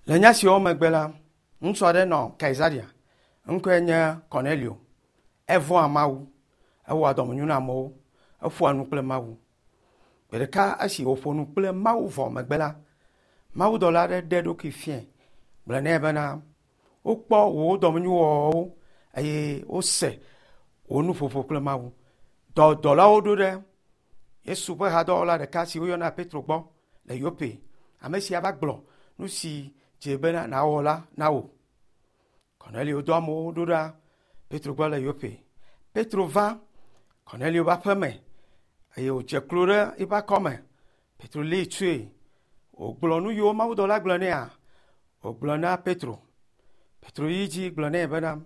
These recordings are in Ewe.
Le nya siawo megbe la, ŋutsu aɖe nɔ Kaisarea, ŋkɔe nye Kornelio. Evɔ̃a Mawu, ewɔa dɔmenyo na amewo, eƒoa nu kple Mawu. Gbe ɖeka esi wòƒo nu kple Mawu vɔ megbe la, mawudɔla aɖe ɖe eɖokui fiae gblɔ nɛ bena, wokpɔ wò dɔmenyowɔwɔwo eye wose wò nuƒoƒo kple Mawu. Dɔ dɔlawo ɖo ɖe Yesu ƒe hadɔwɔla ɖeka si woyɔna Petro gbɔ le Yope. Ame sia va gblɔ nu si dze bena nàwɔ la na wò. Kornelio dɔ amewo ɖo ɖa Petro gbɔ le Yope. Petro va Kornelio ƒe aƒe me eye wòdze klo ɖe eƒe akɔme. Petro lée tsoe. Wògblɔ nu yiwo mawudɔla gblɔ nɛa, wògblɔ na Petro. Petro yi dzi gblɔ nɛ bena,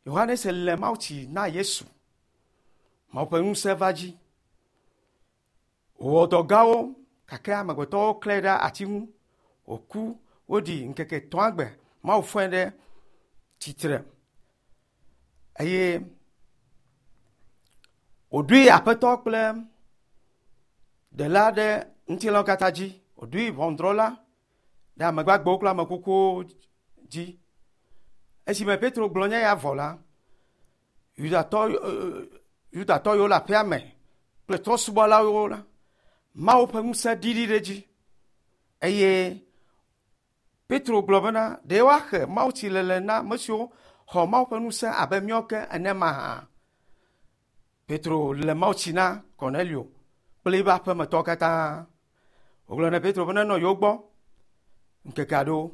Yohanes le mawutsi na Yesu. Mawu ƒe ŋusẽ va dzi. Wòwɔ dɔ gãwo gake amegbetɔwo klãe ɖe ati ŋu. Wòku, woɖi ŋkeke etɔ̃a gbe. Mawu fɔe ɖe tsitre eye wòɖoe aƒetɔ kple ɖela ɖe ŋutilãwo katã dzi. Wòɖoe ʋɔnudrɔ̃la ɖe ame gbagbewo kple ame kukuwo dzi. Esime Petro gblɔ nya ya vɔ la, Yudatɔ Yudatɔ yiwo le aƒea me kple trɔ̃subɔlawo la, Mawu ƒe ŋusẽ ɖiɖi ɖe edzi. Eye Petro gblɔ bena, ɖe woaxe mawutsilele na ame siwo xɔ Mawu ƒe ŋusẽ abe míawo ke ene mahã? Petro le mawutsi na Kornelio kple eƒe aƒemetɔwo katã. Wogblɔ na Petro be nenɔ yewo gbɔ ŋkeke aɖewo.